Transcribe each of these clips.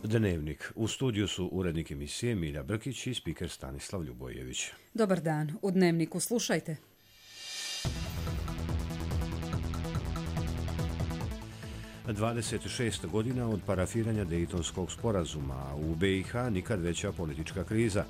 Dnevnik. U studiju su urednik emisije Milja Brkić i spiker Stanislav Ljubojević. Dobar dan. U Dnevniku slušajte. Na 26 godina od parafiranja Dejtonskog sporazuma, u BiH nikad veća politička kriza.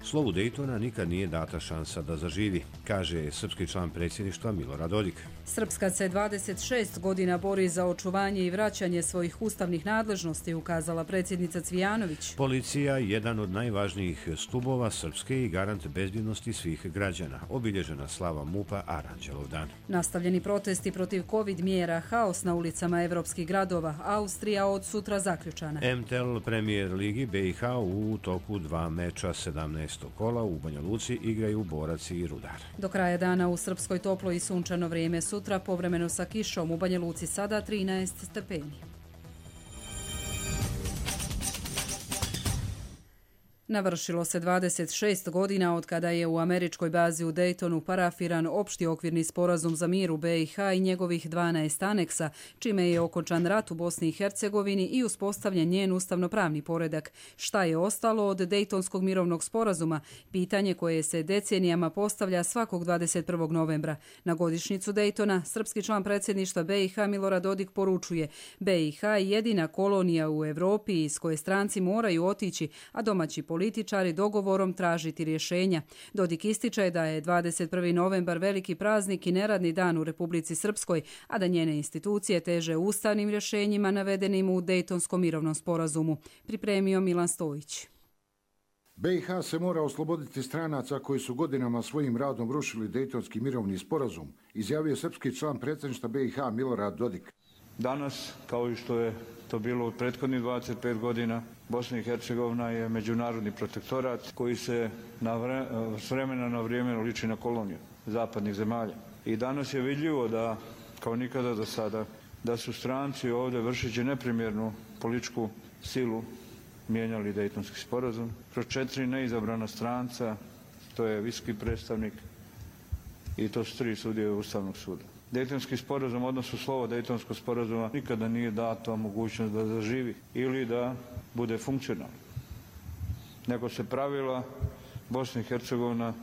Slovu Dejtona nikad nije data šansa da zaživi, kaže srpski član predsjedništva Milorad Dodik. Srpska se 26 godina bori za očuvanje i vraćanje svojih ustavnih nadležnosti, ukazala predsjednica Cvijanović. Policija je jedan od najvažnijih stubova Srpske i garant bezbjednosti svih građana. Obilježena slava MUP-a Aranđelov dan. Nastavljeni protesti protiv COVID mjera, haos na ulicama evropskih gradova, Austrija od sutra zaključana. MTEL Premier Ligi BiH u toku 2 meča 17. kola u Banja Luci igraju Borac i Rudar. Do kraja dana u Srpskoj toplo i sunčano vrijeme, sutra povremeno sa kišom, u Banja Luci sada 13 stepeni. Navršilo se 26 godina od kada je u američkoj bazi u Dejtonu parafiran opšti okvirni sporazum za mir u BiH i njegovih 12 aneksa, čime je okončan rat u Bosni i Hercegovini i uspostavljen njen ustavnopravni poredak. Šta je ostalo od Dejtonskog mirovnog sporazuma? Pitanje koje se decenijama postavlja svakog 21. novembra. Na godišnjicu Dejtona srpski član predsjedništva BiH Milorad Dodik poručuje: BiH je jedina kolonija u Evropi iz koje stranci moraju otići, a domaći političari dogovorom tražiti rješenja. Dodik ističe da je 21. novembar veliki praznik i neradni dan u Republici Srpskoj, a da njene institucije teže ustavnim rješenjima navedenim u Dejtonskom mirovnom sporazumu. Pripremio Milan Stojić. BiH se mora osloboditi stranaca koji su godinama svojim radom rušili Dejtonski mirovni sporazum, izjavio srpski član predsjedništva BiH Milorad Dodik. Danas, kao i što je to bilo u prethodnih 25 godina, Bosna i Hercegovina je međunarodni protektorat koji se s vremena na vrijeme liči na koloniju zapadnih zemalja. I danas je vidljivo da, kao nikada do sada, da su stranci ovdje vršeći neprimjernu političku silu mijenjali Dejtonski sporazum. Kroz 4 neizabrana stranca, to je visoki predstavnik i to su 3 sudije Ustavnog suda. Dejtonski sporazum, odnosno slovo Dejtonskog sporazuma, nikada nije dato mogućnost da zaživi ili da bude funkcionalno. Nego se pravila Bosna i Hercegovina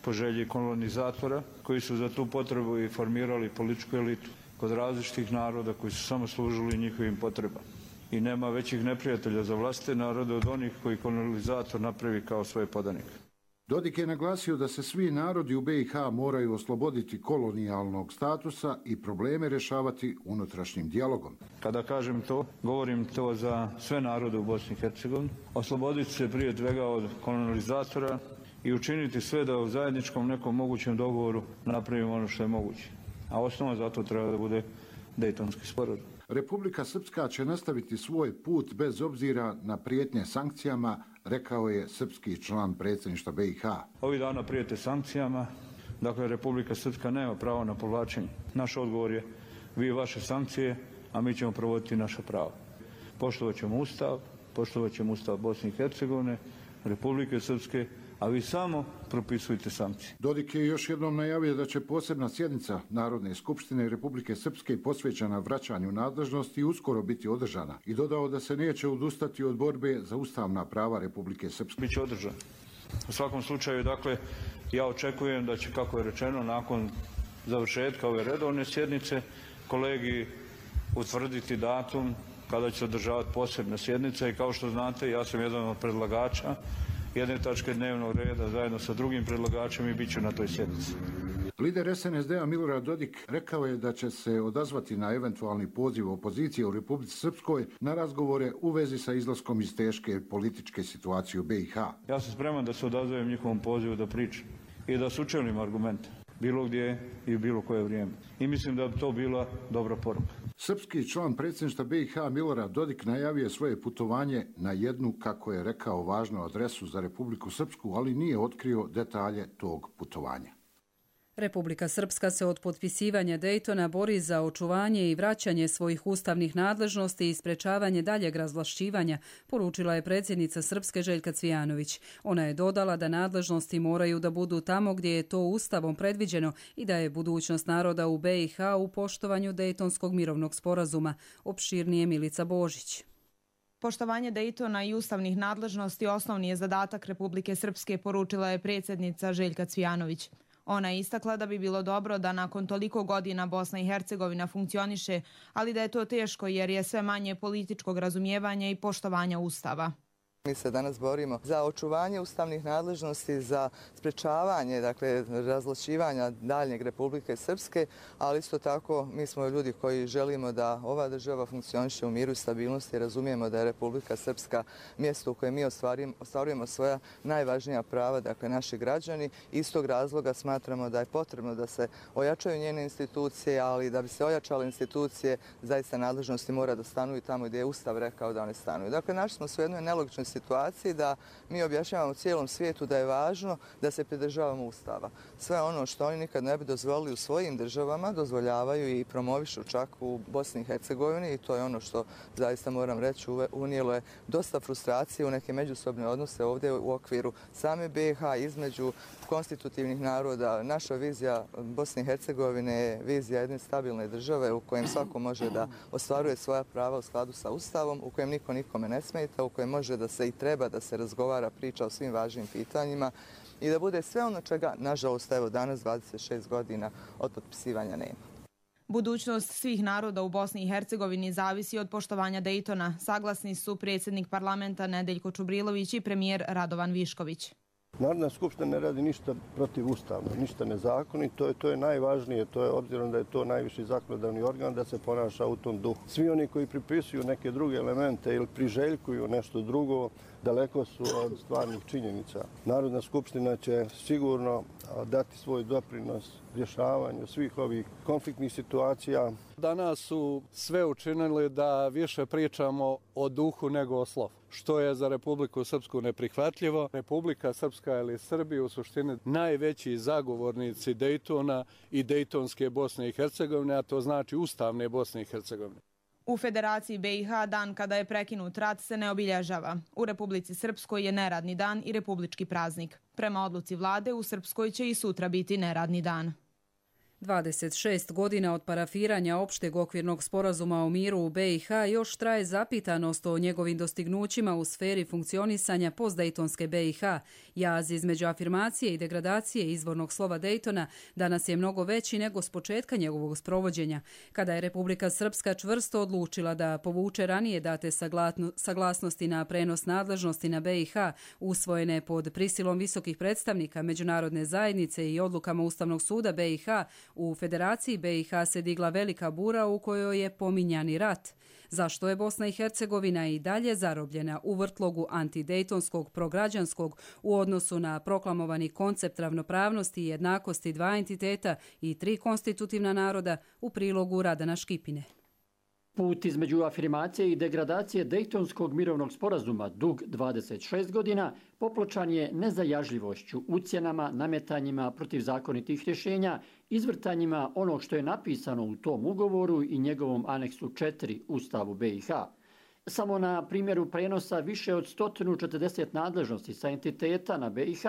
po želji kolonizatora koji su za tu potrebu i formirali političku elitu kod različitih naroda koji su samo služili njihovim potrebama. I nema većih neprijatelja za vlastite narode od onih koji kolonizator napravi kao svoje podanike. Dodik je naglasio da se svi narodi u BiH moraju osloboditi kolonijalnog statusa i probleme rješavati unutrašnjim dijalogom. Kada kažem to, govorim to za sve narode u Bosni i Hercegovini. Osloboditi se prije svega od kolonizatora i učiniti sve da u zajedničkom nekom mogućem dogovoru napravimo ono što je moguće. A osnova za to treba da bude Dejtonski sporazum. Republika Srpska će nastaviti svoj put bez obzira na prijetnje sankcijama, rekao je srpski član predsjedništva BiH. Ovih dana prijete sankcijama, dakle Republika Srpska nema pravo na povlačenje. Naš odgovor je: vi vaše sankcije, a mi ćemo provoditi naša prava. Poštovat ćemo Ustav Bosne i Hercegovine, Republike Srpske, a vi samo propisujete sankcije. Dodik je još jednom najavio da će posebna sjednica Narodne skupštine Republike Srpske posvećena vraćanju nadležnosti uskoro biti održana i dodao da se neće odustati od borbe za ustavna prava Republike Srpske. Biće održan. U svakom slučaju, dakle, ja očekujem da će, kako je rečeno, nakon završetka ove redovne sjednice kolegi utvrditi datum kada će se održavati posebna sjednica i kao što znate, ja sam jedan od predlagača jedne tačke dnevnog reda zajedno sa drugim predlagačem i bit ću na toj sjednici. Lider SNSD-a Milorad Dodik rekao je da će se odazvati na eventualni poziv opozicije u Republici Srpskoj na razgovore u vezi sa izlaskom iz teške političke situacije u BiH. Ja sam spreman da se odazovem njihovom pozivu da pričam i da sučelim argumente bilo gdje i bilo koje vrijeme. I mislim da bi to bila dobra poruka. Srpski član predsjedništva BiH Milorad Dodik najavio svoje putovanje na jednu, kako je rekao, važnu adresu za Republiku Srpsku, ali nije otkrio detalje tog putovanja. Republika Srpska se od potpisivanja Dejtona bori za očuvanje i vraćanje svojih ustavnih nadležnosti i sprečavanje daljeg razvlašćivanja, poručila je predsjednica Srpske Željka Cvijanović. Ona je dodala da nadležnosti moraju da budu tamo gdje je to Ustavom predviđeno i da je budućnost naroda u BiH u poštovanju Dejtonskog mirovnog sporazuma. Opširnije Milica Božić. Poštovanje Dejtona i ustavnih nadležnosti osnovni je zadatak Republike Srpske, poručila je predsjednica Željka Cvijanović. Ona je istakla da bi bilo dobro da nakon toliko godina Bosna i Hercegovina funkcioniše, ali da je to teško jer je sve manje političkog razumijevanja i poštovanja Ustava. Mi se danas borimo za očuvanje ustavnih nadležnosti, za sprečavanje, razvlačivanja daljnjeg Republike Srpske, ali isto tako mi smo ljudi koji želimo da ova država funkcioniše u miru i stabilnosti. Razumijemo da je Republika Srpska mjesto u kojem mi ostvarujemo svoja najvažnija prava, naši građani. Iz tog razloga smatramo da je potrebno da se ojačaju njene institucije, ali da bi se ojačale institucije, zaista nadležnosti mora da stanuju tamo gdje je Ustav rekao da one stanuju. Našli smo se u jednoj nelogičnoj situaciji da mi objašnjavamo cijelom svijetu da je važno da se pridržavamo Ustava. Sve ono što oni nikad ne bi dozvolili u svojim državama, dozvoljavaju i promovišu čak u Bosni i Hercegovini i to je ono što zaista moram reći unijelo je dosta frustracije u neke međusobne odnose ovdje u okviru same BiH između konstitutivnih naroda. Naša vizija Bosne i Hercegovine je vizija jedne stabilne države u kojem svako može da ostvaruje svoja prava u skladu sa Ustavom, u kojem niko nikome ne smeta, u kojem može da se i treba da se razgovara, priča o svim važnim pitanjima i da bude sve ono čega, nažalost, evo danas 26 godina od potpisivanja nema. Budućnost svih naroda u Bosni i Hercegovini zavisi od poštovanja Dejtona. Saglasni su predsjednik parlamenta Nedeljko Čubrilović i premijer Radovan Višković. Narodna skupština ne radi ništa protivustavno, ništa nezakonito, to je najvažnije, to je obzirom da je to najviši zakonodavni organ da se ponaša u tom duhu. Svi oni koji pripisuju neke druge elemente ili priželjkuju nešto drugo, daleko su od stvarnih činjenica. Narodna skupština će sigurno dati svoj doprinos rješavanju svih ovih konfliktnih situacija. Danas su sve učinili da više pričamo o duhu nego o slovu, što je za Republiku Srpsku neprihvatljivo. Republika Srpska ili Srbi u suštini najveći zagovornici Dejtona i Dejtonske Bosne i Hercegovine, a to znači ustavne Bosne i Hercegovine. U Federaciji BiH dan kada je prekinut rat se ne obilježava. U Republici Srpskoj je neradni dan i republički praznik. Prema odluci vlade u Srpskoj će i sutra biti neradni dan. 26 godina od parafiranja opšteg okvirnog sporazuma o miru u BiH još traje zapitanost o njegovim dostignućima u sferi funkcionisanja postdejtonske BiH. Jaz između afirmacije i degradacije izvornog slova Dejtona danas je mnogo veći nego s početka njegovog sprovođenja, kada je Republika Srpska čvrsto odlučila da povuče ranije date saglasnosti na prenos nadležnosti na BiH, usvojene pod prisilom visokih predstavnika međunarodne zajednice i odlukama Ustavnog suda BiH. U Federaciji BiH se digla velika bura u kojoj je pominjani rat. Zašto je Bosna i Hercegovina i dalje zarobljena u vrtlogu antidejtonskog prograđanskog u odnosu na proklamovani koncept ravnopravnosti i jednakosti dva entiteta i tri konstitutivna naroda, u prilogu Radana Škipine. Put između afirmacije i degradacije Dejtonskog mirovnog sporazuma, dug 26 godina, popločan je nezajažljivošću, ucjenama, nametanjima protivzakonitih rješenja, izvrtanjima onog što je napisano u tom ugovoru i njegovom aneksu 4 Ustavu BiH. Samo na primjeru prenosa više od 140 nadležnosti sa entiteta na BiH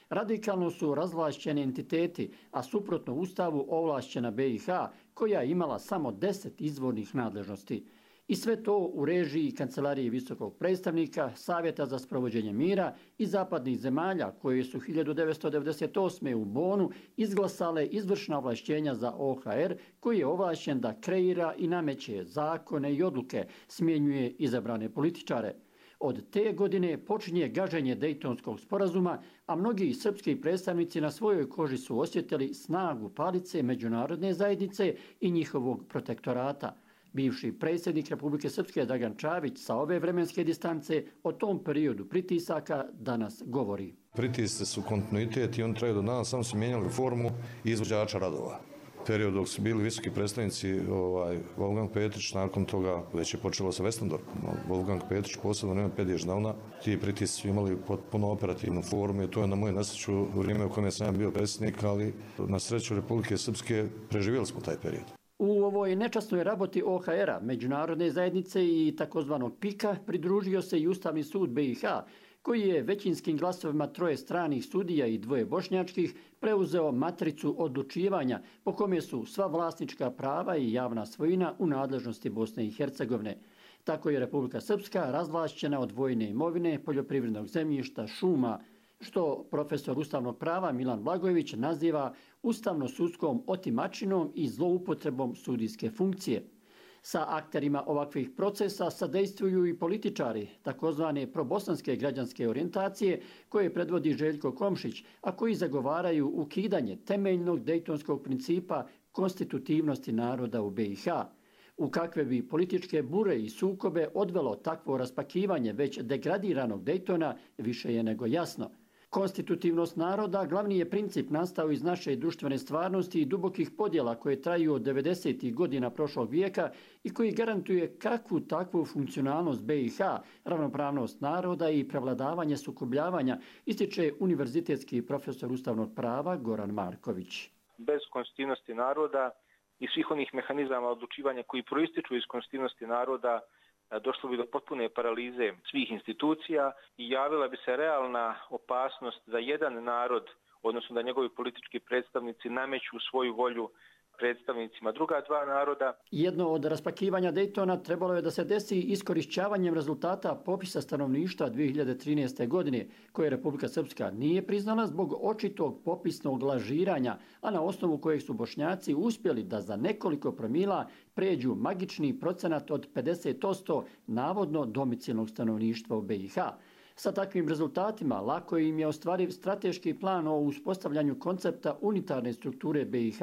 radikalno su razvlašćeni entiteti, a suprotno Ustavu ovlašćena BiH koja je imala samo 10 izvornih nadležnosti. I sve to u režiji Kancelarije visokog predstavnika, Savjeta za sprovođenje mira i zapadnih zemalja koje su 1998. u Bonu izglasale izvršna ovlašćenja za OHR koji je ovlašćen da kreira i nameće zakone i odluke, smjenjuje izabrane političare. Od te godine počinje gaženje Dejtonskog sporazuma, a mnogi srpski predstavnici na svojoj koži su osjetili snagu palice međunarodne zajednice i njihovog protektorata. Bivši predsjednik Republike Srpske Dragan Čavić sa ove vremenske distance o tom periodu pritisaka danas govori. Pritisci su kontinuitet i on traju do danas, samo su mijenjali formu izvođača radova. Period dok su bili visoki predstavnici Wolfgang Petrić, nakon toga već je počelo sa Westendorfom. Wolfgang Petrić posebno nema Pedježdavna. Ti pritisci su imali potpuno operativnu formu i to je na moju nesreću vrijeme u kojem sam bio predsjednik, ali na sreću Republike Srpske preživjeli smo taj period. U ovoj nečasnoj raboti OHR-a, međunarodne zajednice i takozvanog PIK-a pridružio se i Ustavni sud BiH, koji je većinskim glasovima 3 stranih sudija i 2 bošnjačkih preuzeo matricu odlučivanja po kome su sva vlasnička prava i javna svojina u nadležnosti Bosne i Hercegovine. Tako je Republika Srpska razvlašćena od vojne imovine, poljoprivrednog zemljišta, šuma, što profesor ustavnog prava Milan Blagojević naziva ustavno-sudskom otimačinom i zloupotrebom sudijske funkcije. Sa akterima ovakvih procesa sadejstvuju i političari, takozvane probosanske građanske orijentacije, koje predvodi Željko Komšić, a koji zagovaraju ukidanje temeljnog dejtonskog principa konstitutivnosti naroda u BiH. U kakve bi političke bure i sukobe odvelo takvo raspakivanje već degradiranog Dejtona više je nego jasno. Konstitutivnost naroda glavni je princip nastao iz naše društvene stvarnosti i dubokih podjela koje traju od 90. godina prošlog vijeka i koji garantuje kakvu takvu funkcionalnost BiH, ravnopravnost naroda i prevladavanje sukobljavanja, ističe univerzitetski profesor ustavnog prava Goran Marković. Bez konstitutivnosti naroda i svih onih mehanizama odlučivanja koji proističu iz konstitutivnosti naroda došlo bi do potpune paralize svih institucija i javila bi se realna opasnost da jedan narod, odnosno da njegovi politički predstavnici nameću svoju volju predstavnicima druga dva naroda. Jedno od raspakivanja Dejtona trebalo je da se desi iskorišćavanjem rezultata popisa stanovništva 2013. godine, koje Republika Srpska nije priznala zbog očitog popisnog lažiranja, a na osnovu kojeg su Bošnjaci uspjeli da za nekoliko promila pređu magični procenat od 50% navodno domicilnog stanovništva u BiH. Sa takvim rezultatima lako im je ostvariv strateški plan o uspostavljanju koncepta unitarne strukture BiH,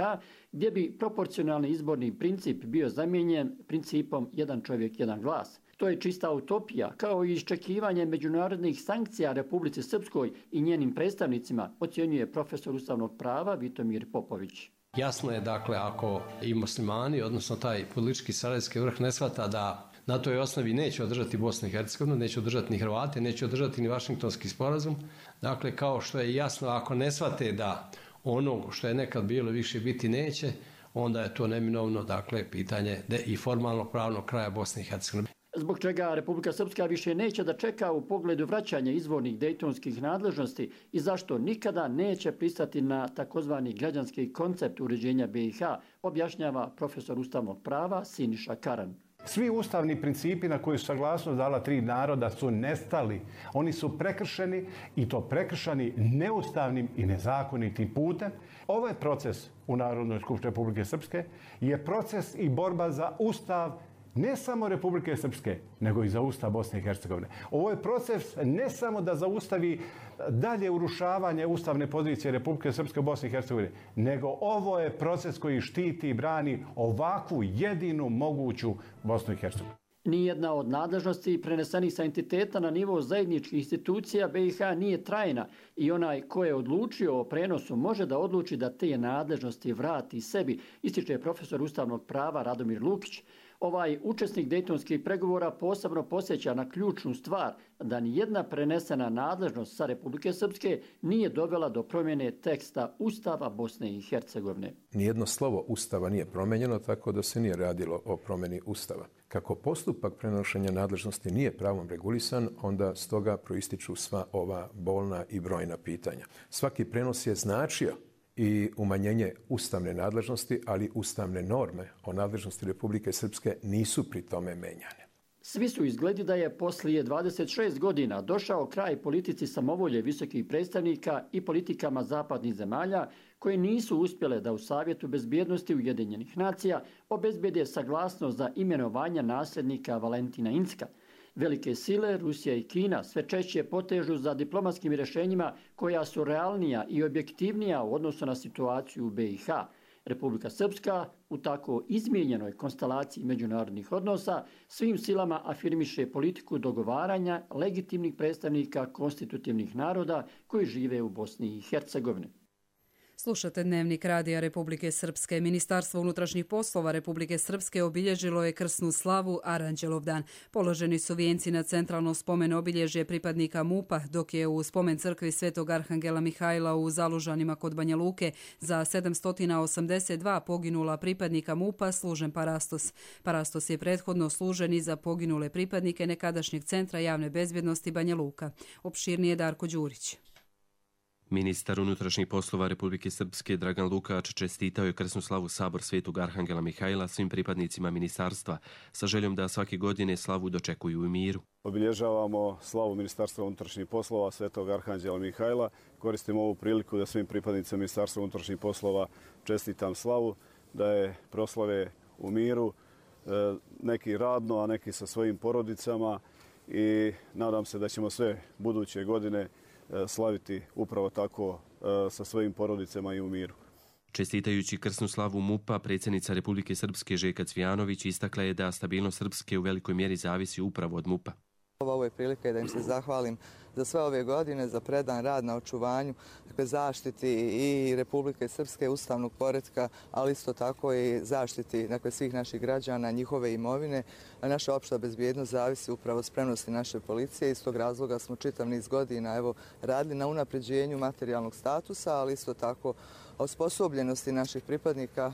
gdje bi proporcionalni izborni princip bio zamijenjen principom jedan čovjek, jedan glas. To je čista utopija, kao i iščekivanje međunarodnih sankcija Republici Srpskoj i njenim predstavnicima, ocjenjuje profesor ustavnog prava Vitomir Popović. Jasno je, dakle, ako i muslimani, odnosno taj politički sarajevski vrh ne shvata da na toj osnovi neće održati Bosnu i Hercegovinu, neće održati ni Hrvate, neće održati ni Vašingtonski sporazum. Dakle, kao što je jasno, ako ne shvate da ono što je nekad bilo više biti neće, onda je to neminovno, dakle, pitanje i formalno pravnog kraja Bosne i Hercegovine. Zbog čega Republika Srpska više neće da čeka u pogledu vraćanja izvornih dejtonskih nadležnosti i zašto nikada neće pristati na takozvani građanski koncept uređenja BiH, objašnjava profesor ustavnog prava Siniša Karan. Svi ustavni principi na koji su saglasnost dala tri naroda su nestali. Oni su prekršeni i to prekršeni neustavnim i nezakonitim putem. Ovaj proces u Narodnoj skupštini Republike Srpske je proces i borba za ustav ne samo Republike Srpske, nego i za ustav Bosne i Hercegovine. Ovo je proces ne samo da zaustavi dalje urušavanje ustavne pozicije Republike Srpske u Bosni i Hercegovini, nego ovo je proces koji štiti i brani ovakvu jedinu moguću Bosnu i Hercegovinu. Nijedna od nadležnosti prenesenih sa entiteta na nivo zajedničkih institucija BiH nije trajna i onaj ko je odlučio o prenosu može da odluči da te nadležnosti vrati sebi, ističe profesor ustavnog prava Radomir Lukić. Ovaj učesnik dejtonskih pregovora posebno podsjeća na ključnu stvar da nijedna prenesena nadležnost sa Republike Srpske nije dovela do promjene teksta Ustava Bosne i Hercegovine. Nijedno slovo Ustava nije promenjeno, tako da se nije radilo o promjeni Ustava. Kako postupak prenošenja nadležnosti nije pravom regulisan, onda stoga proističu sva ova bolna i brojna pitanja. Svaki prenos je značio i umanjenje ustavne nadležnosti, ali ustavne norme o nadležnosti Republike Srpske nisu pri tome menjane. Svi su izgledi da je poslije 26 godina došao kraj politici samovolje visokih predstavnika i politikama zapadnih zemalja koje nisu uspjele da u Savjetu bezbjednosti Ujedinjenih nacija obezbede saglasnost za imenovanje nasljednika Valentina Incka. Velike sile, Rusija i Kina, sve češće potežu za diplomatskim rješenjima koja su realnija i objektivnija u odnosu na situaciju u BiH. Republika Srpska u tako izmijenjenoj konstelaciji međunarodnih odnosa svim silama afirmiše politiku dogovaranja legitimnih predstavnika konstitutivnih naroda koji žive u Bosni i Hercegovini. Slušate Dnevnik Radija Republike Srpske. Ministarstvo unutrašnjih poslova Republike Srpske obilježilo je krsnu slavu Aranđelovdan. Položeni su vijenci na centralno spomen obilježje pripadnika MUP-a, dok je u spomen crkvi Svetog Arhangela Mihajla u Zalužanima kod Banja Luke za 782 poginula pripadnika MUP-a služen parastos. Parastos je prethodno služen i za poginule pripadnike nekadašnjeg centra javne bezbjednosti Banja Luka. Opširnije Darko Đurić. Ministar unutrašnjih poslova Republike Srpske Dragan Lukač čestitao je krsnu slavu Sabor Svetog Arhangela Mihajla svim pripadnicima ministarstva sa željom da svake godine slavu dočekuju u miru. Obilježavamo slavu Ministarstva unutrašnjih poslova Svetog Arhangela Mihajla. Koristimo ovu priliku da svim pripadnicima Ministarstva unutrašnjih poslova čestitam slavu, da je proslave u miru, neki radno, a neki sa svojim porodicama i nadam se da ćemo sve buduće godine slaviti upravo tako sa svojim porodicama i u miru. Čestitajući krsnu slavu MUP-a, predsjednica Republike Srpske Željka Cvijanović istakla je da stabilnost Srpske u velikoj mjeri zavisi upravo od MUP-a. Ovo je prilika da im se zahvalim za sve ove godine, za predan rad na očuvanju, zaštiti i Republike Srpske, ustavnog poretka, ali isto tako i zaštiti svih naših građana, njihove imovine. Naša opšta bezbjednost zavisi upravo od spremnosti naše policije. Iz tog razloga smo čitav niz godina radili na unapređenju materijalnog statusa, ali isto tako osposobljenosti naših pripadnika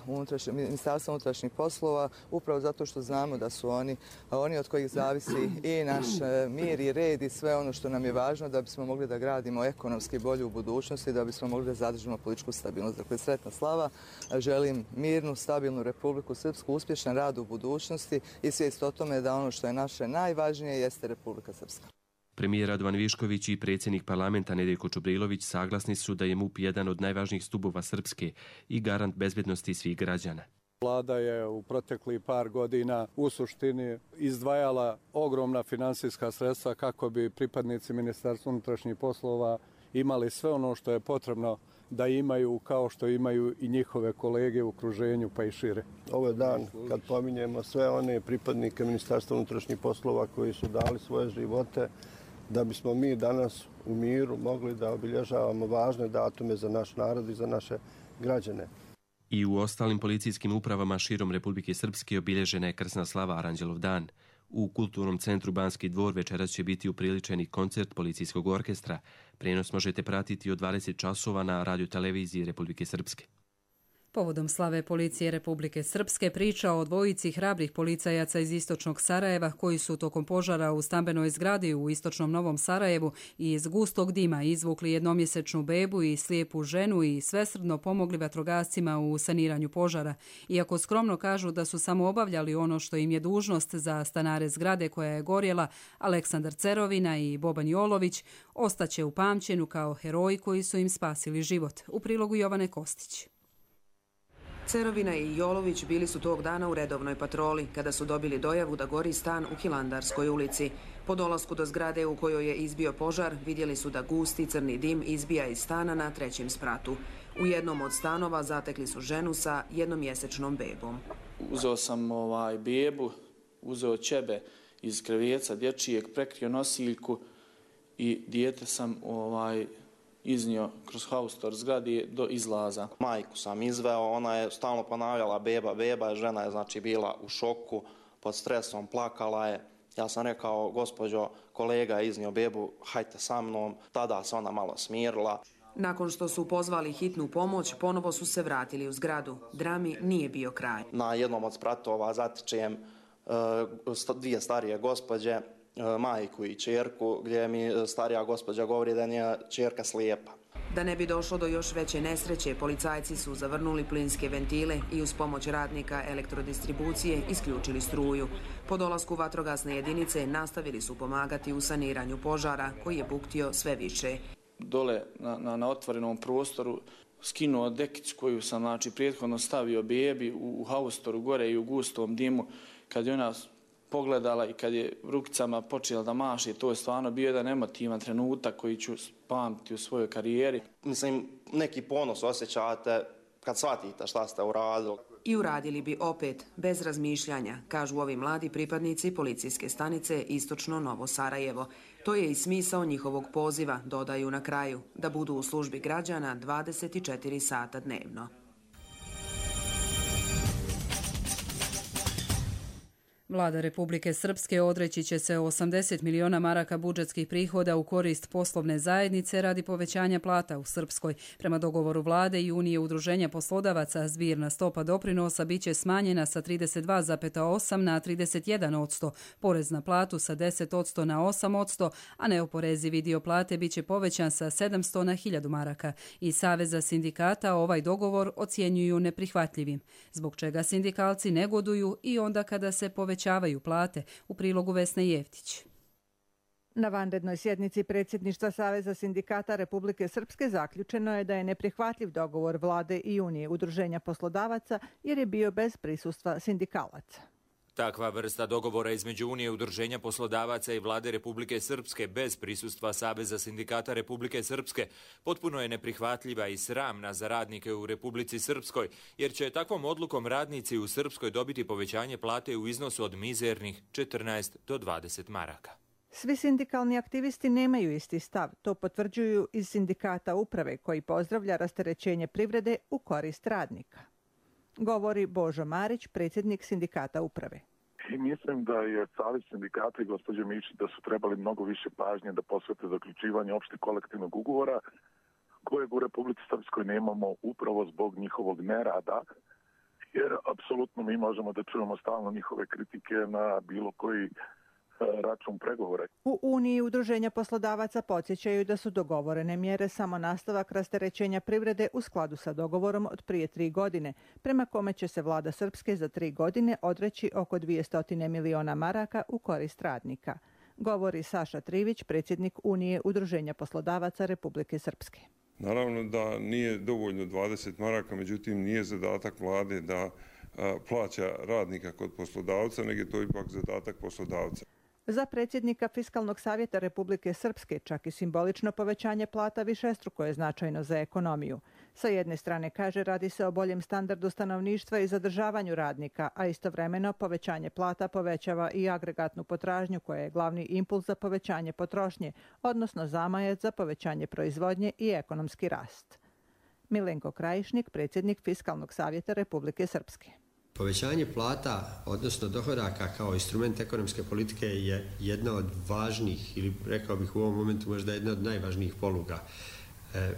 Ministarstva unutrašnjih poslova, upravo zato što znamo da su oni od kojih zavisi i naš mir i red i sve ono što nam je važno da bismo mogli da gradimo ekonomski bolju u budućnosti, da bismo mogli da zadržimo političku stabilnost. Dakle, sretna slava, želim mirnu, stabilnu Republiku Srpsku, uspješan rad u budućnosti i svijest o tome da ono što je naše najvažnije jeste Republika Srpska. Premijer Radovan Višković i predsjednik parlamenta Nedeljko Čubrilović saglasni su da je MUP jedan od najvažnijih stubova Srpske i garant bezbednosti svih građana. Vlada je u proteklih par godina u suštini izdvajala ogromna finansijska sredstva kako bi pripadnici Ministarstva unutrašnjih poslova imali sve ono što je potrebno da imaju, kao što imaju i njihove kolege u okruženju pa i šire. Ovo je dan kad pominjemo sve one pripadnike Ministarstva unutrašnjih poslova koji su dali svoje živote da bismo mi danas u miru mogli da obilježavamo važne datume za naš narod i za naše građane. I u ostalim policijskim upravama širom Republike Srpske obilježena je krsna slava Aranđelov dan. U Kulturnom centru Banski dvor večeras će biti upriličeni koncert policijskog orkestra. Prenos možete pratiti od 20 časova na radioteleviziji Republike Srpske. Povodom slave policije Republike Srpske priča o dvojici hrabrih policajaca iz istočnog Sarajeva koji su tokom požara u stambenoj zgradi u istočnom Novom Sarajevu i iz gustog dima izvukli jednomjesečnu bebu i slijepu ženu i svesrdno pomogli vatrogascima u saniranju požara. Iako skromno kažu da su samo obavljali ono što im je dužnost za stanare zgrade koja je gorjela, Aleksandar Cerovina i Boban Jolović ostaće upamćenu kao heroji koji su im spasili život. U prilogu Jovane Kostić. Cerovina i Jolović bili su tog dana u redovnoj patroli kada su dobili dojavu da gori stan u Hilandarskoj ulici. Po dolasku do zgrade u kojoj je izbio požar vidjeli su da gusti crni dim izbija iz stana na 3. spratu. U jednom od stanova zatekli su ženu sa jednomjesečnom bebom. Uzeo sam bebu, uzeo ćebe iz kreveca dječijeg, prekrio nosiljku i dijete sam iznio kroz haustor zgrade do izlaza. Majku sam izveo, ona je stalno ponavljala beba, žena je bila u šoku, pod stresom, plakala je. Ja sam rekao, gospođo, kolega je iznio bebu, hajte sa mnom. Tada se ona malo smirila. Nakon što su pozvali hitnu pomoć, ponovo su se vratili u zgradu. Drami nije bio kraj. Na jednom od spratova zatičem 2 starije gospođe, majku i ćerku, gdje mi starija gospođa govori da je ćerka slijepa. Da ne bi došlo do još veće nesreće, policajci su zavrnuli plinske ventile i uz pomoć radnika elektrodistribucije isključili struju. Po dolasku vatrogasne jedinice nastavili su pomagati u saniranju požara koji je buktio sve više. Dole na otvorenom prostoru skinuo dekicu koju sam prethodno stavio bebi u haustoru gore i u gustom dimu. Kad je ona pogledala i kad je rukicama počela da maše, to je stvarno bio jedan emotivan trenutak koji ću pamtiti u svojoj karijeri. Mislim, neki ponos osjećate kad shvatite šta ste uradili. I uradili bi opet, bez razmišljanja, kažu ovi mladi pripadnici policijske stanice Istočno Novo Sarajevo. To je i smisao njihovog poziva, dodaju na kraju, da budu u službi građana 24 sata dnevno. Vlada Republike Srpske odreći će se 80 miliona maraka budžetskih prihoda u korist poslovne zajednice radi povećanja plata u Srpskoj. Prema dogovoru Vlade i Unije udruženja poslodavaca, zbirna stopa doprinosa biće smanjena sa 32,8 na 31%, porez na platu sa 10% na 8%, a neoporezivi dio plate biće povećan sa 700 na 1000 maraka. I Saveza sindikata ovaj dogovor ocjenjuju neprihvatljivim, zbog čega sindikalci negoduju i onda kada se povećavaju plate, u prilogu Vesne Jeftić. Na vanrednoj sjednici predsjedništva Saveza sindikata Republike Srpske zaključeno je da je neprihvatljiv dogovor Vlade i Unije udruženja poslodavaca jer je bio bez prisustva sindikalaca. Takva vrsta dogovora između Unije udruženja poslodavaca i Vlade Republike Srpske bez prisustva Saveza sindikata Republike Srpske potpuno je neprihvatljiva i sramna za radnike u Republici Srpskoj, jer će takvom odlukom radnici u Srpskoj dobiti povećanje plate u iznosu od mizernih 14 do 20 maraka. Svi sindikalni aktivisti nemaju isti stav, to potvrđuju iz sindikata uprave koji pozdravlja rasterećenje privrede u korist radnika. Govori Božo Marić, predsjednik sindikata uprave. I mislim da je Savez sindikata i gospođe Mišić da su trebali mnogo više pažnje da posvete zaključivanje opšteg kolektivnog ugovora kojeg u Republici Srpskoj nemamo upravo zbog njihovog nerada, jer apsolutno mi možemo da čujemo stalno njihove kritike na bilo koji račun pregovora. U Uniji udruženja poslodavaca podsjećaju da su dogovorene mjere samo nastavak rasterećenja privrede u skladu sa dogovorom od prije 3 godine, prema kome će se vlada Srpske za 3 godine odreći oko 200 miliona maraka u korist radnika. Govori Saša Trivić, predsjednik Unije udruženja poslodavaca Republike Srpske. Naravno da nije dovoljno 20 maraka, međutim nije zadatak vlade da plaća radnika kod poslodavca, nego je to ipak zadatak poslodavca. Za predsjednika Fiskalnog savjeta Republike Srpske čak i simbolično povećanje plata višestruko je značajno za ekonomiju. Sa jedne strane, kaže, radi se o boljem standardu stanovništva i zadržavanju radnika, a istovremeno povećanje plata povećava i agregatnu potražnju koja je glavni impuls za povećanje potrošnje, odnosno zamajac za povećanje proizvodnje i ekonomski rast. Milenko Krajišnik, predsjednik Fiskalnog savjeta Republike Srpske. Povećanje plata, odnosno dohodaka kao instrument ekonomske politike je jedna od važnijih, ili rekao bih u ovom momentu možda jedna od najvažnijih poluga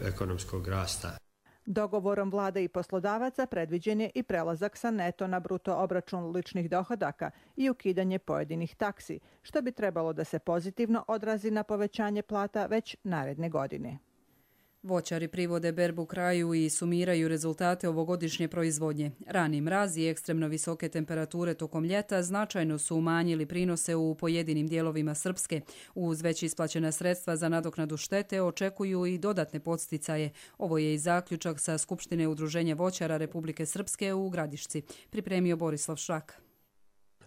ekonomskog rasta. Dogovorom vlade i poslodavaca predviđen je i prelazak sa neto na bruto obračun ličnih dohodaka i ukidanje pojedinih taksi, što bi trebalo da se pozitivno odrazi na povećanje plata već naredne godine. Voćari privode berbu kraju i sumiraju rezultate ovogodišnje proizvodnje. Rani mraz i ekstremno visoke temperature tokom ljeta značajno su umanjili prinose u pojedinim dijelovima Srpske. Uz već isplaćena sredstva za nadoknadu štete očekuju i dodatne podsticaje. Ovo je i zaključak sa Skupštine udruženja voćara Republike Srpske u Gradišci. Pripremio Borislav Šrak.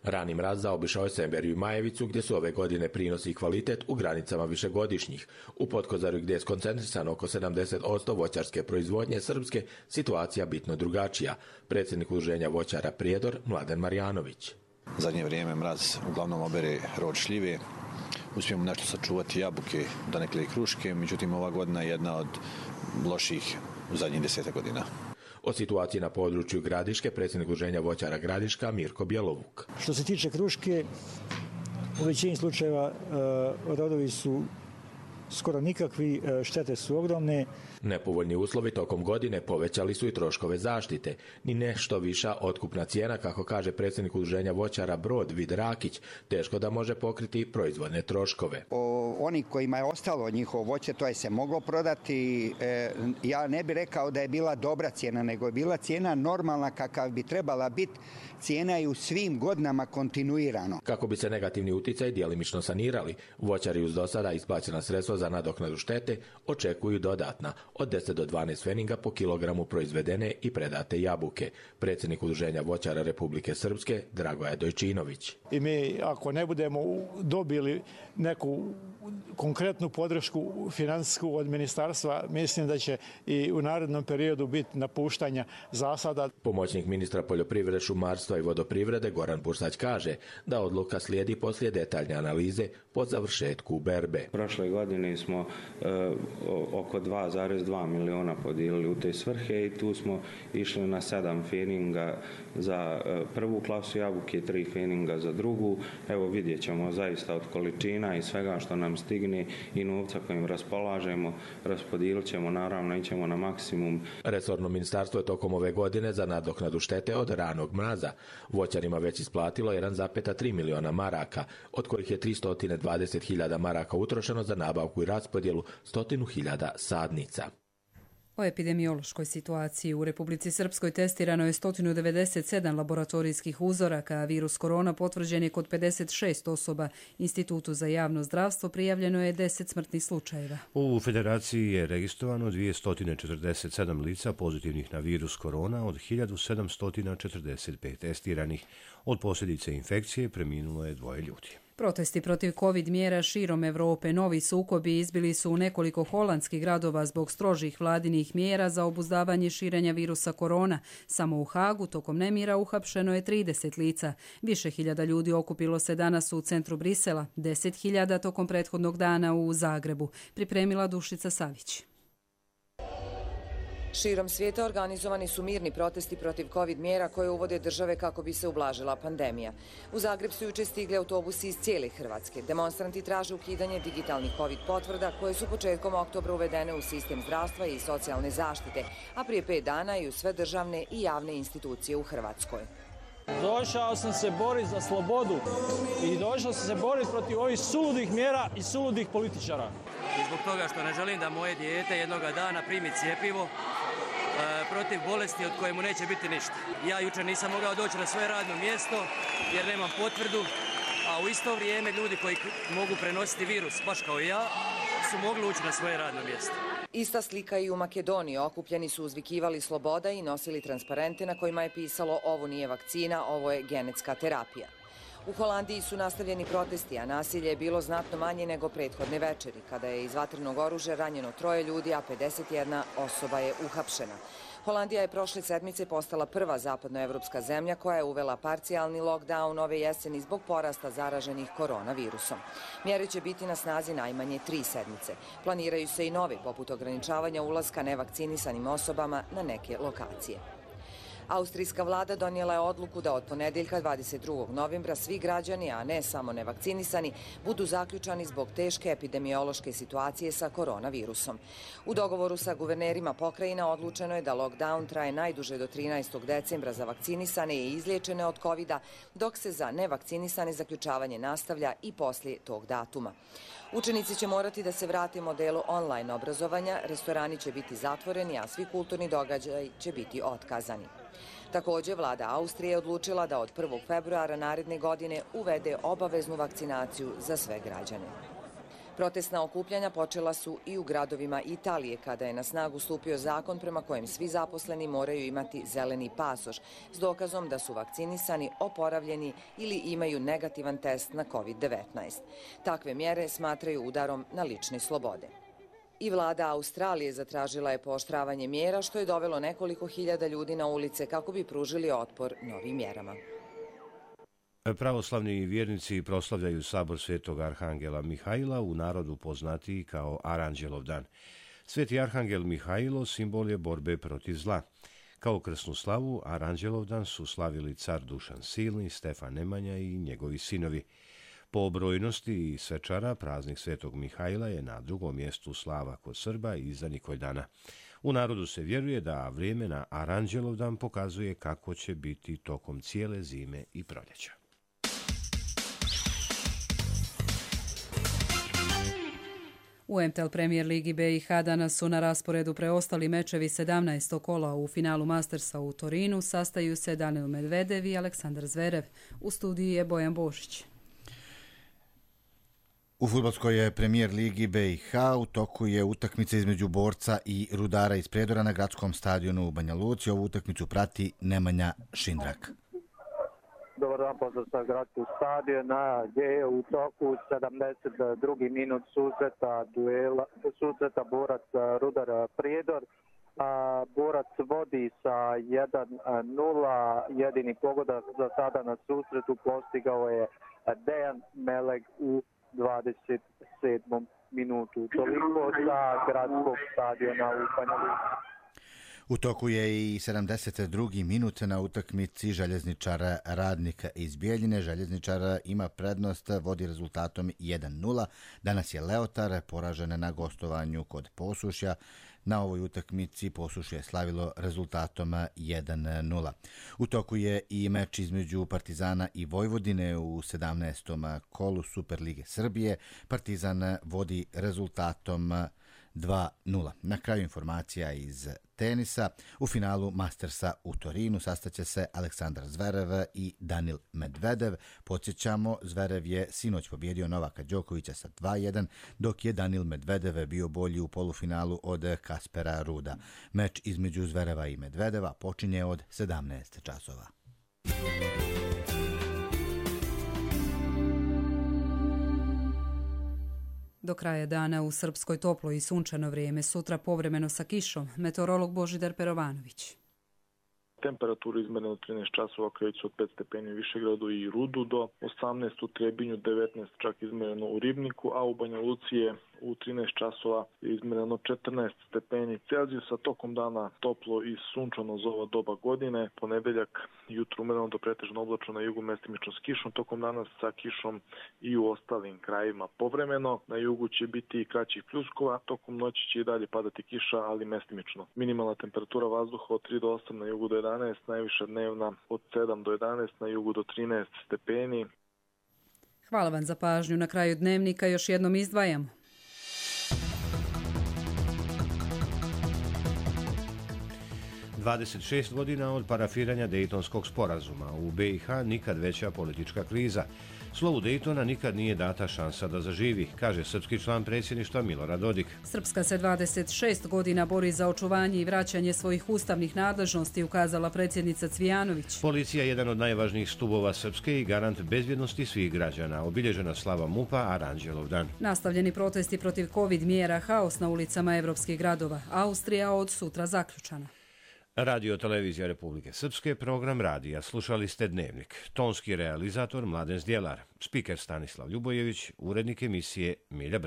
Rani mraz zaobišao je Semberiju i Majevicu, gdje su ove godine prinosi i kvalitet u granicama višegodišnjih. U Potkozaru, gdje je skoncentrisano oko 70% voćarske proizvodnje Srpske, situacija bitno drugačija. Predsjednik udruženja voćara Prijedor, Mladen Marjanović. Zadnje vrijeme mraz uglavnom obere rod šljive. Uspijemo nešto sačuvati jabuke, donekle i kruške, međutim ova godina je jedna od loših u zadnjih 10 godina. O situaciji na području Gradiške predsjednik udruženja voćara Gradiška Mirko Bjelovuk. Što se tiče kruške, u većini slučajeva rodovi su skoro nikakvi, štete su ogromne. Nepovoljni uslovi tokom godine povećali su i troškove zaštite. Ni nešto viša otkupna cijena, kako kaže predsjednik udruženja voćara Brod Vid Rakić, teško da može pokriti proizvodne troškove. Oni kojima je ostalo njihovo voće, to je se moglo prodati. Ja ne bih rekao da je bila dobra cijena, nego je bila cijena normalna kakav bi trebala biti. Cijena je u svim godinama kontinuirano. Kako bi se negativni uticaj djelimično sanirali, voćari uz do sada isplaćena sredstva za nadoknadu štete očekuju dodatna od 10 do 12 pfeninga po kilogramu proizvedene i predate jabuke. Predsjednik udruženja voćara Republike Srpske Dragoje Dojčinović. I mi ako ne budemo dobili neku konkretnu podršku financijsku od ministarstva, mislim da će i u narednom periodu biti napuštanja zasada. Pomoćnik ministra poljoprivrede, šumarstva i vodoprivrede Goran Bursać kaže da odluka slijedi poslije detaljne analize po završetku berbe. Prošle godine godine smo oko 2,2 miliona podijelili u te svrhe i tu smo išli na 7 feninga za prvu klasu jabuke, 3 feninga za drugu. Evo vidjet ćemo zaista od količina i svega što nam stigne i novca kojim raspolažemo, raspodijelit ćemo, naravno ićemo na maksimum. Resorno ministarstvo je tokom ove godine za nadoknadu štete od ranog mraza voćarima već isplatilo 1,3 miliona maraka, od kojih je 320.000 maraka utrošeno za nabavku i raspodjelu 100.000 sadnica. O epidemiološkoj situaciji u Republici Srpskoj testirano je 197 laboratorijskih uzoraka, a virus korona potvrđen je kod 56 osoba. Institutu za javno zdravstvo prijavljeno je 10 smrtnih slučajeva. U federaciji je registrovano 247 lica pozitivnih na virus korona od 1745 testiranih. Od posljedice infekcije preminulo je 2 ljudi. Protesti protiv COVID mjera širom Europe, novi sukobi izbili su u nekoliko holandskih gradova zbog strožih vladinih mjera za obuzdavanje širenja virusa korona. Samo u Hagu tokom nemira uhapšeno je 30 lica. Više hiljada ljudi okupilo se danas u centru Brisela, 10.000 tokom prethodnog dana u Zagrebu. Pripremila Dušica Savić. Širom svijeta organizovani su mirni protesti protiv COVID mjera koje uvode države kako bi se ublažila pandemija. U Zagreb su juče stigli autobusi iz cijele Hrvatske. Demonstranti traže ukidanje digitalnih COVID potvrda koje su početkom oktobra uvedene u sistem zdravstva i socijalne zaštite, a prije 5 dana i u sve državne i javne institucije u Hrvatskoj. Došao sam se boriti za slobodu i došao sam se boriti protiv ovih suludih mjera i suludih političara. I zbog toga što ne želim da moje dijete jednoga dana primi cjepivo protiv bolesti od koje mu neće biti ništa. Ja jučer nisam mogao doći na svoje radno mjesto jer nemam potvrdu, a u isto vrijeme ljudi koji mogu prenositi virus, baš kao i ja, su mogli ući na svoje radno mjesto. Ista slika i u Makedoniji. Okupljeni su uzvikivali sloboda i nosili transparente na kojima je pisalo ovo nije vakcina, ovo je genetska terapija. U Holandiji su nastavljeni protesti, a nasilje je bilo znatno manje nego prethodne večeri, kada je iz vatrenog oružja ranjeno 3 ljudi, a 51 osoba je uhapšena. Holandija je prošle sedmice postala prva zapadnoevropska zemlja koja je uvela parcijalni lockdown ove jeseni zbog porasta zaraženih koronavirusom. Mjere će biti na snazi najmanje 3 sedmice. Planiraju se i nove, poput ograničavanja ulaska nevakcinisanim osobama na neke lokacije. Austrijska vlada donijela je odluku da od ponedjeljka 22. novembra svi građani, a ne samo nevakcinisani, budu zaključani zbog teške epidemiološke situacije sa koronavirusom. U dogovoru sa guvernerima pokrajina odlučeno je da lockdown traje najduže do 13. decembra za vakcinisane i izliječene od covida, dok se za nevakcinisane zaključavanje nastavlja i poslije tog datuma. Učenici će morati da se vrate modelu online obrazovanja, restorani će biti zatvoreni, a svi kulturni događaji će biti otkazani. Također, vlada Austrije je odlučila da od 1. februara naredne godine uvede obaveznu vakcinaciju za sve građane. Protestna okupljanja počela su i u gradovima Italije, kada je na snagu stupio zakon prema kojem svi zaposleni moraju imati zeleni pasoš s dokazom da su vakcinisani, oporavljeni ili imaju negativan test na COVID-19. Takve mjere smatraju udarom na lične slobode. I vlada Australije zatražila je pooštravanje mjera, što je dovelo nekoliko hiljada ljudi na ulice kako bi pružili otpor novim mjerama. Pravoslavni vjernici proslavljaju sabor Svetog Arhangela Mihajla, u narodu poznatiji kao Aranđelov dan. Sveti Arhangel Mihajlo simbol je borbe protiv zla. Kao krsnu slavu Aranđelov dan su slavili car Dušan Silni, Stefan Nemanja i njegovi sinovi. Po brojnosti i svečara praznik Svetog Mihajla je na drugom mjestu slava kod Srba i iza Nikojdana. U narodu se vjeruje da vrijeme na Aranđelov dan pokazuje kako će biti tokom cijele zime i proljeća. U MTL Premier Ligi BiH danas su na rasporedu preostali mečevi 17. kola. U finalu Mastersa u Torinu sastaju se Daniil Medvedev i Aleksandar Zverev. U studiji je Bojan Bošić. U fudbalskoj Premier Ligi BiH u toku je utakmica između Borca i Rudara iz Prijedora na gradskom stadionu u Banja Luci. Ovu utakmicu prati Nemanja Šindrak. Dobar dan, pozdrav sa gradskog stadiona gdje je u toku 72. minut susreta Borac Rudar Prijedor. Borac vodi sa 1-0, jedini pogodak za sada na susretu postigao je Dejan Meleg u 27. minutu. Toliko sa gradskog stadiona u Banja Luci. U toku je i 72. minut na utakmici Željezničara Radnika iz Bijeljine. Željezničar ima prednost, vodi rezultatom 1:0. Danas je Leotar poražen na gostovanju kod Posušja. Na ovoj utakmici Posušje je slavilo rezultatom 1:0. U toku je i meč između Partizana i Vojvodine u 17. kolu Superlige Srbije. Partizan vodi rezultatom 2:0. Na kraju informacija iz tenisa. U finalu Mastersa u Torinu sastaće se Aleksandar Zverev i Danil Medvedev. Podsjećamo, Zverev je sinoć pobjedio Novaka Đokovića sa 2:1, dok je Danil Medvedev bio bolji u polufinalu od Kaspera Ruda. Meč između Zvereva i Medvedeva počinje od 17 časova. Do kraja dana u Srpskoj toplo i sunčano vrijeme, sutra povremeno sa kišom. Meteorolog Božidar Perovanović. Temperaturu izmereno u 13 časova kreću od 5 stepeni u Višegradu i Rudu do 18 u Trebinju, 19 čak izmereno u Ribniku, a u Banja Luci je u 13 časova izmereno 14 stepeni Celzijusa. Tokom dana toplo i sunčano za ova doba godine. Ponedeljak jutro umereno do pretežno oblačno, na jugu mestimično s kišom. Tokom dana sa kišom i u ostalim krajevima povremeno. Na jugu će biti i kraćih pljuskova. Tokom noći će i dalje padati kiša, ali mestimično. Minimalna temperatura vazduha od 3 do 8, na jugu do 11, najviša dnevna od 7 do 11, na jugu do 13 stepeni. Hvala vam za pažnju. Na kraju dnevnika još jednom izdvajamo. "26 godina od parafiranja Dejtonskog sporazuma. U BiH nikad veća politička kriza. Slovu Dejtona nikad nije data šansa da zaživi, kaže srpski član predsjedništva Milorad Dodik. Srpska se 26 godina bori za očuvanje i vraćanje svojih ustavnih nadležnosti, ukazala predsjednica Cvijanović. Policija je jedan od najvažnijih stubova Srpske i garant bezbjednosti svih građana. Obilježena slava MUP-a Aranđelov dan. Nastavljeni protesti protiv COVID mjera, haos na ulicama evropskih gradova. Austrija od sutra zaključana. Radio Televizija Republike Srpske, program radija. Slušali ste Dnevnik. Tonski realizator Mladen Zdjelar, spiker Stanislav Ljubojević, urednik emisije Milja